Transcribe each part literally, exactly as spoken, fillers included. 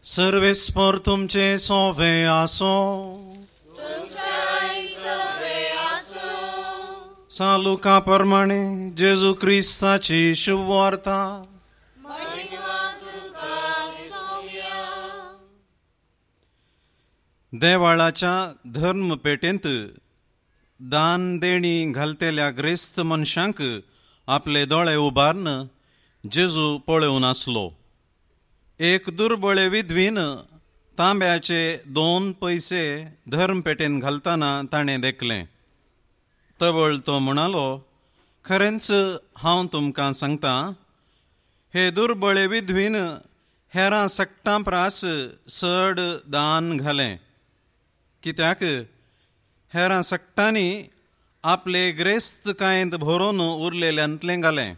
सर्वेस्पर तुमचे सोवे आसो. सालुका प्रमाणे जेजू क्रिस्ताची शुभवार्ता. देवाळाच्या धर्मपेटेंत दान देणी घालतेल्या ग्रेस्त मनशांक आपले दोळे उबारून जेजू पळोवन आसलो. एक दुर्बळे विधवीन तांब्याचे दोन पयसे धर्मपेटेन घालतना ताणें देखलें. तवळ तो म्हणालो, खरेंच हांव तुमकां सांगता, हे दुर्बळे विधवीन हेरां सगटां प्रास चड दान घालें, कित्याक हेरां सगटांनी आपले ग्रेस्तकायेंत भरोवन उरलेल्यांतलें घालें,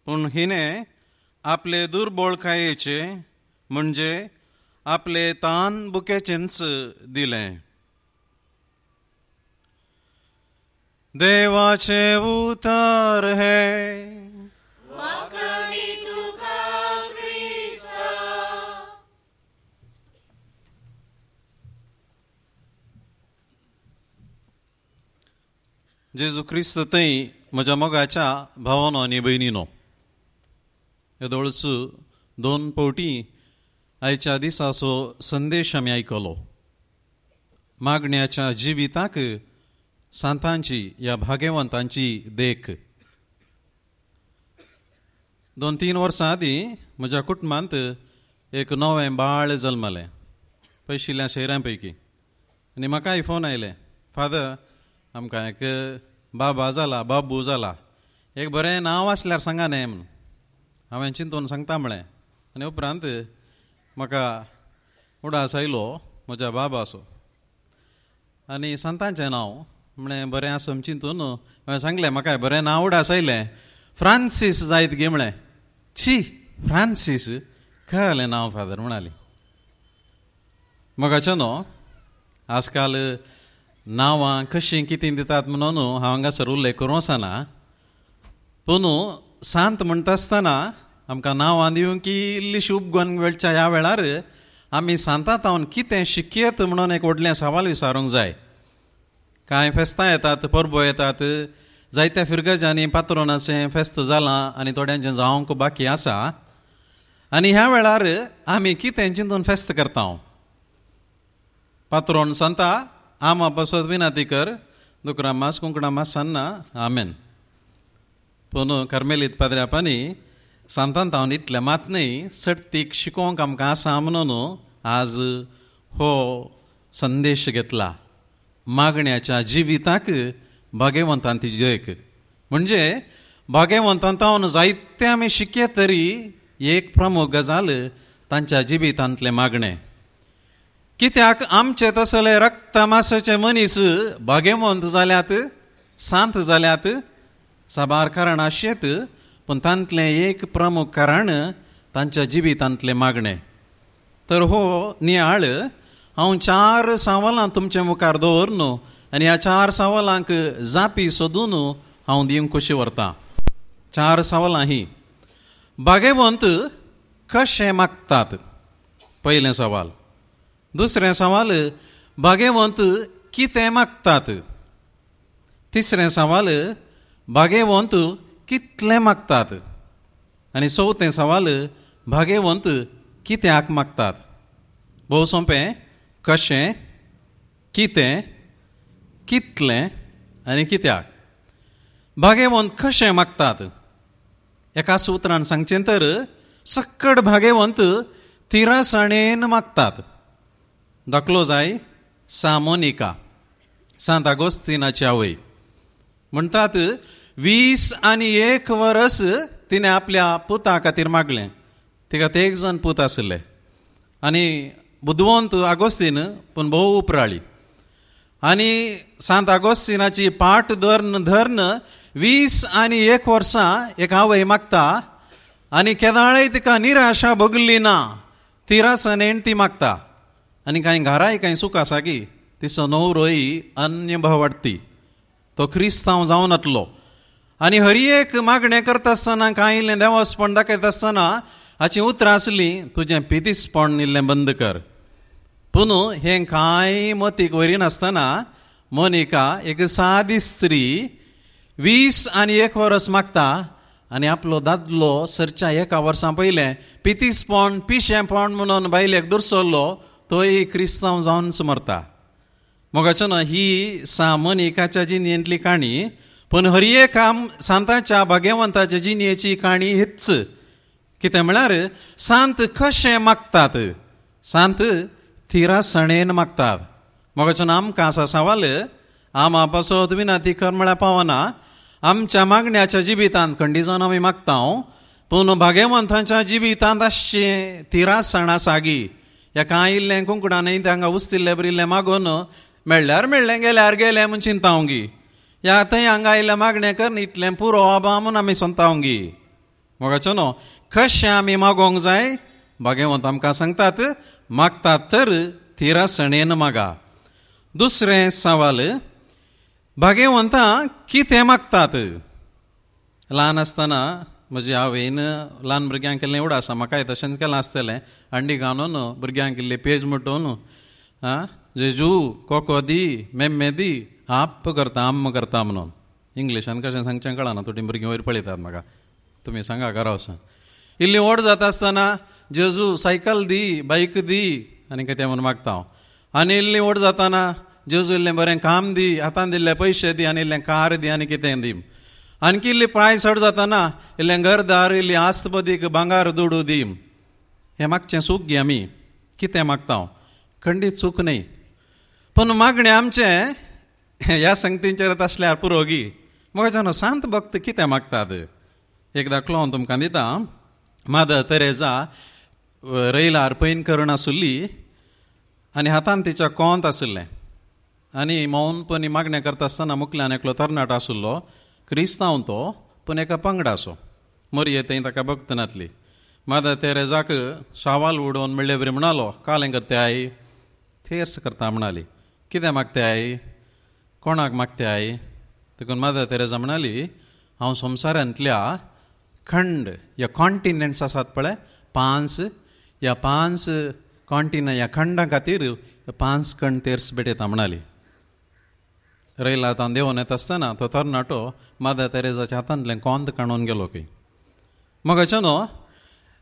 पूण हिणें आपले दुर्बळकायेचे म्हणजे आपले तान बुकेचेंच दिलें. देवाचे उतर हे. जेजू क्रिस्त थंय म्हज्या मोगाच्या भावानो आनी भयणीनो, येदोळच दोन फावटी आयच्या दिसाचो संदेश आमी आयकलो. मागण्याच्या जिविताक सांतांची या भाग्यवंतांची देख. दोन तीन वर्सां आदीं म्हज्या कुटुंबांत एक नवें बाळ जल्मलें पयशिल्ल्या शहरां पैकी. आनी म्हाकाय फोन आयले, फादर आमकां एक बाबा जाला, बाबू जाला, एक बरें नांव आसल्यार सांगा न्हय म्हणून. हांवें चिंतून सांगता म्हळें. आनी उपरांत म्हाका उडास आयलो म्हज्या बाबाचो आनी सांतांचें नांव म्हळें बरें आसा चिंतून हांवें सांगलें, म्हाका बरें नांव उडास आयलें, फ्रांसीस जायत गे म्हळें. छी, फ्रांसीस कळ्ळें नांव फादर म्हणाली. मोगाचें न्हू आजकाल नांवां कशीं कितें दितात म्हणून हांव हांगासर उल्लेख करूं वचना, पूण सांत म्हणटा आसतना आमकां नांवां दिवंक इल्लीशी उपगण वेळच्या ह्या वेळार आमी सांतांत हांव कितें शिकयत म्हणून एक व्हडलें सवाल विचारूंक जाय. कांय फेस्तां येतात, परबो येतात, जायत्या फिरगजांनी पात्रोनाचें फेस्त जालां आनी थोड्यांचें जावंक बाकी आसा. आनी ह्या वेळार आमी कितें चिंतून फेस्त करता. पात्रोन सांता आमा पासत विनाती कर, दुकरा मास कुंकडा मास सान्ना आमेन. पूण कार्मेलीत पाद्र्यापांनी सांतांत हांव इतलें मात न्हय सटतीक शिकोवंक आमकां आसा म्हणून आज हो संदेश घेतला. मागण्याच्या जिविताक भाग्यवंतांची देख म्हणजे भाग्यवंतांत जायते आमी शिकयत तरी एक प्रमुख गजाल तांच्या जिवितांतलें मागणें. कित्याक आमचे तसले रक्तमासाचे मनीस भाग्यवंत जाल्यात, सांत जाल्यात, साबार कारण आशेत, पूण तांतलें एक प्रमुख कारण तांच्या जिवितांतलें मागणें. तर हो नियाळ हांव चार सवालां तुमचे मुखार दवरन आनी ह्या चार सवालांक जापी सोदून हांव दिवंक खोशी व्हरतां. चार सवालां ही. भाग्यवंत कशें मागतात, पयलें सवाल. दुसरें सवाल, भाग्यवंत कितें मागतात. तिसरें सवाल, भाग्यवंत कितलें मागतात. आनी चवथें सवाल, भाग्यवंत कित्याक मागतात. भोव सोंपें, कशें, कितें, कितलें आनी कित्याक. भाग्यवंत कशें मागतात? एका सुत्रान सांगचें तर सक्कड भाग्यवंत तिरासणेन मागतात. दाखलो जाय सा मोनिका, सांत आगोस्तिनाची आवय. म्हणटात वीस आनी एक वरस तिणें आपल्या पुता खातीर मागलें. तिका ते एक जाण पूत आशिल्ले आनी बुदवंत आगोस्तीन, पूण भोव उपराळी. आनी सांत आगोस्तिनाची पाट धरून धरून वीस आनी एक वर्सां एक आवय मागता आनी केदाळय तिका निराशा भोगली ना, तिरासनेन ती मागता. आनी कांय घराय कांय सूख आसा की तिचो न्हवरोय अन्य भावाडती, तो क्रिस्तांव जावन आसलो. आनी हर एक मागणें करता आसतना कांय इल्लें देवस्पण दाखयता आसतना हाचीं उतरां आसलीं तुजें पितीसपण इल्लें बंद कर. पूण हें कांय मतीक व्हरिनासतना मोनिका एक सादी स्त्री वीस आनी एक वर्स मागता आनी आपलो दादलो सरच्या एका वर्सां पयलें पितीसपण पिशेंपण म्हणून बायलेक दुरसल्लो तोय क्रिस्तांव जावनच मरता. मोगाचो न्हय ही सा मोनिकाच्या जिणेंतली काणी, पूण हर एका सांताच्या भाग्यवंताच्या जिणेची काणी हीच. कितें म्हळ्यार सांत कशें मागतात, सांत थिरासणेन मागतात. मोगाचो आमकां आसा सवाल, आमा पासत विनंती कर म्हळ्यार पावना. आमच्या मागण्याच्या जिवितांत खंडीजान आमी मागता, पूण भाग्यवंतांच्या जिवितांत आसचें तिरासण आसा गी. ह्या कांय इल्लें कुंकडां न्हय हांगा उस्तिल्लें बरिल्लें मागून मेळ्ळ्यार मेळ्ळें गेल्यार गेलें म्हूण चिंतावं गी. ह्या थंय हांगा इल्लें मागणें कर इतलें पुरो आबा म्हूण आमी सोंतावं गी. मोगाचो न्हू कशें आमी मागोवंक जाय भाग्यवंत आमकां सांगतात, मागतात तर तिरासणेन मागा. दुसरें सवाल, भाग्यवंतां कितें मागतात? ल्हान आसतना म्हजी आवयन ल्हान भुरग्यांक केल्लें एवढं आसा, म्हाकाय तशेंच केलां आसतलें. अंडी घालून भुरग्यांक इल्ली पेज मुटोवन आं जेजू कोको दी मेम्मे दी आप्प करता आम्म करता म्हणून. इंग्लिशान कशें सांगचें कळना, थोडीं भुरगीं वयर पळयतात म्हाका, तुमी सांगा घरा वचून. इल्ली व्हड जाता आसतना जेजू सायकल दी बायक दी आनी कितें म्हणून मागता हांव. आनी इल्ली व्हड जाताना जेजू इल्लें बरें काम दी, हातान दिल्ले पयशे दी आनी इल्लें कार दी आनी कितें दी. आणखी इल्ली प्राय चड जाताना इल्लें घरदार इल्ली आस्तबदीक भांगार दुडू दी. हें मागचें चूक गी आमी कितें मागता हांव, खंडीत चूक न्हय, पूण मागणें आमचें ह्या संगतींचेर आसल्यार पुरो गी. म्हाका न्हू सांत भक्त कितें मागतात एक दाखलो हांव तुमकां दिता. मादर तेरेजा रैलार पैन करून आसुल्ली आनी हातान तिच्या कोंत आशिल्लें आनी मौनपणी मागणें करता आसतना मुखल्यान एकलो तरणाटो आशिल्लो, क्रिस्तांव तो, पूण एका पंगडाचो मोरये थंय ताका भक्त नातली. मादर तेरेजाक सवाल उडोवन म्हणले बरी म्हणालो, कालें करते आई, थेर्स करता म्हणाली. कितें मागते आई, कोणाक मागते आई? देखून मादर तेरेजा म्हणाली, हांव संवसारांतल्या खंड ह्या कॉन्टिनेंट्स आसात पळय पांच, ह्या पांच कॉन्टिनेंट ह्या खंडां खातीर पांच खंड तेर्स भेटयता म्हणाली. रैला आतां देंवन येता आसतना तो तरणाटो मादर तेरेजाच्या हातांतल्यान कोंत काडून गेलो खंय. मगाचो न्हू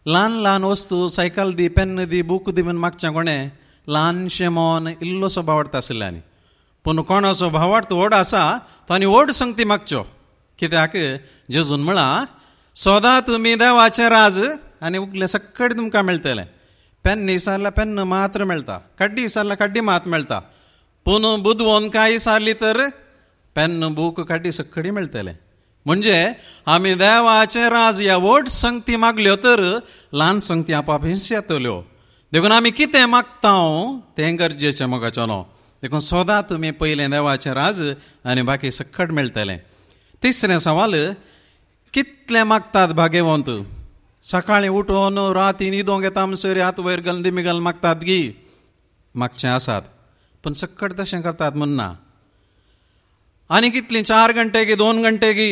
ल्हान ल्हान वस्तू सायकल दी पेन्न दी बूक दी म्हूण मागचें कोणें ल्हानशें मन इल्लोसो भावार्थ आशिल्लें. आनी पूण कोणाचो भावार्थ व्हड आसा तो आनी व्हड संगती मागच्यो. कित्याक जेजून म्हळां, सदां तुमी देवाचें राज आनी उगलें सक्कड तुमकां मेळटलें. पेन्न विसरल्यार पेन्न मात्र मेळटा, कड्डी विसरल्यार कड्डी मात मेळटा, पूण बुदवंत काय विसरली तर पेन्न बूक कड्डी सक्कडी मेळटलें. म्हणजे आमी देवाचें राज ह्या व्हड संगती मागल्यो तर ल्हान संगती आपाप हिंस येतल्यो. देखून आमी कितें मागता तें गरजेचें मोगाचो न्हू. देखून सदां तुमी पयलें देवाचें राज आनी बाकी सक्कड मेळटलें. तिसरें सवाल, कितलें मागतात भाग्यवंत? सकाळीं उठून राती न्हिदोंक येता म्हणसर हात वयर घालून दिमी घालून मागतात गी, मागचें आसात, पूण सक्कड तशें करतात म्हूण ना. आनी कितलीं चार घंटे गी दोन घंटे गी.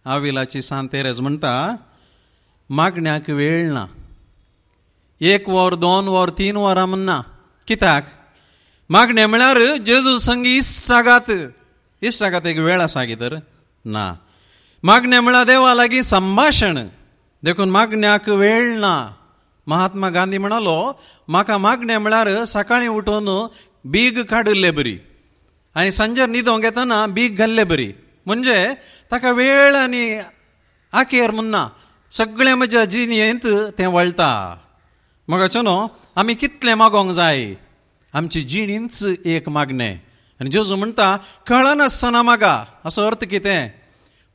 आविलाची सांत तेरेज म्हणटा, मागण्याक वेळ ना, एक वर दोन वर तीन वरां म्हण ना. कित्याक मागणें म्हळ्यार जेजू संगी इश्टागात, इश्टागात एक वेळ आसा गी तर ना. मागणें म्हळ्यार देवा लागीं संभाशण, देखून मागण्याक वेळ ना. महात्मा गांधी म्हणालो, म्हाका मागणें म्हळ्यार सकाळीं उठून बीग काडिल्ले बरी आनी सांजेर न्हिदोंक येतना बीग घाल्ले बरी. म्हणजे ताका वेळ आनी आखेर म्हण ना, सगळें म्हज्या जिणेंत तें वळटा. मोगाचो न्हू आमी कितलें मागोंक जाय, आमची जिणींच एक मागणें. आनी जेजू म्हणटा कळनासतना मागा, असो अर्थ कितें?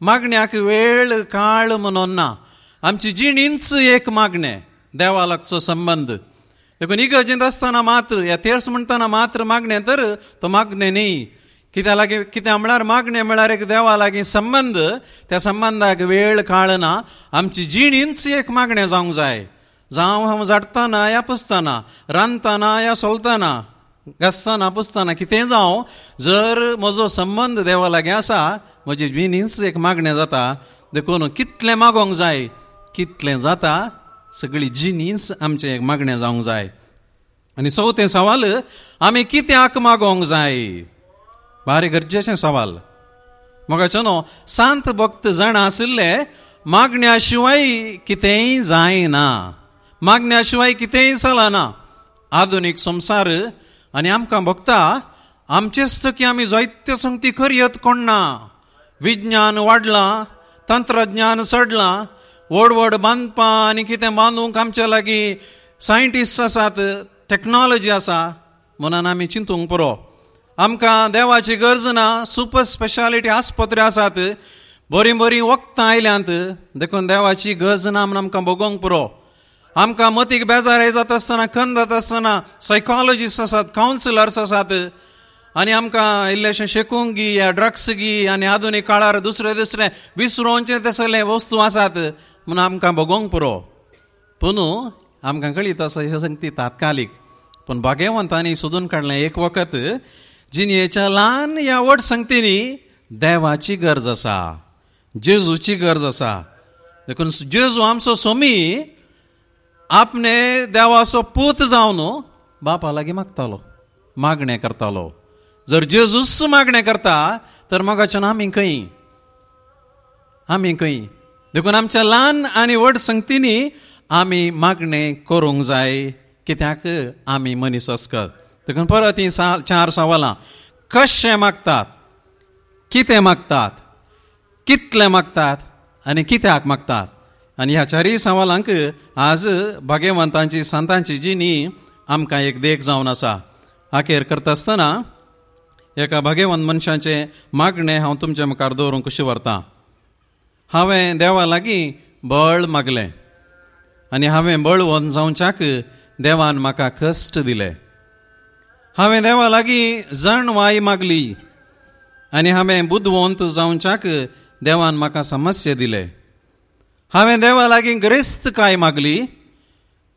मागण्याक वेळ काळ म्हणून ना, आमची जिणींच एक मागणें, देवा लागचो संबंद. देखून इगर्जेंत आसतना मात्र ह्या तेर्स म्हणटना मात्र मागणें तर तो मागणें न्ही. कित्या लागीं कित्या म्हळ्यार मागणें म्हळ्यार एक देवा लागीं संबंद, त्या संबंदाक वेळ काळ ना. आमची जिणींच एक मागणें जावंक जाय. जावं हांव झाडटना या पुसतना, रांदतना या सोलतना, घासतना पुसतना, कितें जावं, जर म्हजो संबंद देवा लागीं आसा म्हजी जिणींच एक मागणें जाता. देखून कितलें मागोंक जाय, कितलें जाता सगळी जिनीस आमचें एक मागणें जावंक जाय. आनी चवथें सवाल, आमी कित्याक मागोवंक जाय? भारी गरजेचें सवाल. मोगाचो न्हू, सांत भक्त जाणा आशिल्ले मागण्या शिवाय कितेंय जायना, मागण्या शिवाय कितेंय चलना. आधुनीक संवसार आनी आमकां भोगता आमचेच की आमी जायत्यो संगती करयत कोण ना. विज्ञान वाडलां, तंत्रज्ञान चडलां, व्हड व्हड बांदपां आनी कितें बांदूंक आमचे लागीं सायंटिस्ट आसात, टॅक्नोलॉजी आसा, म्हणून आमी चिंतूंक पुरो. आमकां देवाची गरज ना. सुपर स्पेशालिटी आस्पत्र्यो आसात, बरीं बरीं वखदां आयल्यांत, देखून देवाची गरज ना म्हूण आमकां भोगोवंक पुरो. आमकां मतीक बेजार जाता आसतना, खंत जाता आसतना सायकोलॉजिस्ट आसात, कावन्सिलर्स आसात, आनी आमकां इल्लेशें शेकूंक गी या ड्रग्स गी आनी आधुनीक काळार दुसरे दुसरे विसरोवचे तसले वस्तू आसात म्हूण आमकां भोगोवंक पुरो. पूण आमकां कळीत आसा ह्यो संगती तात्कालीक, पूण भाग्यवंतांनी सोदून काडलें एक वखत जिणेच्या ल्हान ह्या व्हड संगतींनी देवाची गरज आसा, जेजूची गरज आसा. देखून जेजू आमचो सोमी आपणे देवाचो पूत जावन बापा लागीं मागतालो, मागणें करतालो. जर जेजूच मागणें करता तर मोगाच्यान आमी खंय, आमी खंय? देखून आमच्या ल्हान आनी व्हड संगतींनी आमी मागणें करूंक जाय, कित्याक आमी मनीस अस्कत. देखून परत हीं चार सवालां, कशें मागतात, कितें मागतात, कितलें मागतात आनी कित्याक मागतात. आनी ह्या चारूय सवालांक आज भाग्यवंतांची संतांची जिणी आमकां एक देख जावन आसा. अखेर करता आसतना एका भाग्यवंत मनशाचें मागणें हांव तुमच्या मुखार दवरूंक कशी व्हरतां. हांवें देवा लागीं बळ मागलें आनी हांवें बळवंत जावच्याक देवान म्हाका कश्ट दिले. हांवें देवा लागीं जाणवाय मागली आनी हांवें बुदवंत जावच्याक देवान म्हाका समस्या दिले. हांवें देवा लागीं गिरेस्तकाय मागली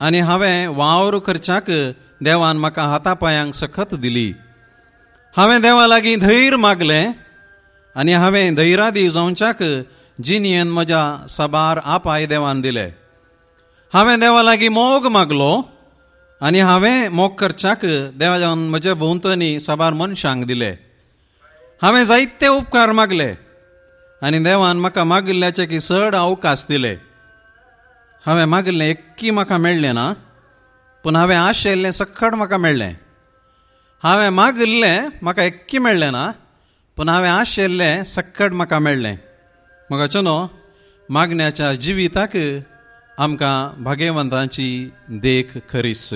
आनी हांवें वावर करच्याक देवान म्हाका हाता पांयांक सखत दिली. हांवें देवा लागीं धैर्य मागलें आनी हांवें धैर्यादी जावच्याक जिणेन म्हज्या साबार आपाय देवान दिले. हांवें देवा लागीं मोग मागलो आनी हांवें मोग करच्याक देवान म्हज्या भोंवतणी साबार मनशांक दिले. हांवें जायते उपकार मागले आनी देवान म्हाका मागिल्ल्याचे की चड अवकाश दिले. हांवें मागिल्लें एक्की म्हाका मेळ्ळें ना, पूण हांवें आशेल्लें सक्कड म्हाका मेळ्ळें. हांवें मागिल्लें म्हाका एक्की मेळ्ळें ना, पूण हांवें आशेल्लें सक्कड म्हाका मेळ्ळें. मोगाचो न्हू, मागण्याच्या जिविताक आमकां भाग्यवंतांची देख खरीस.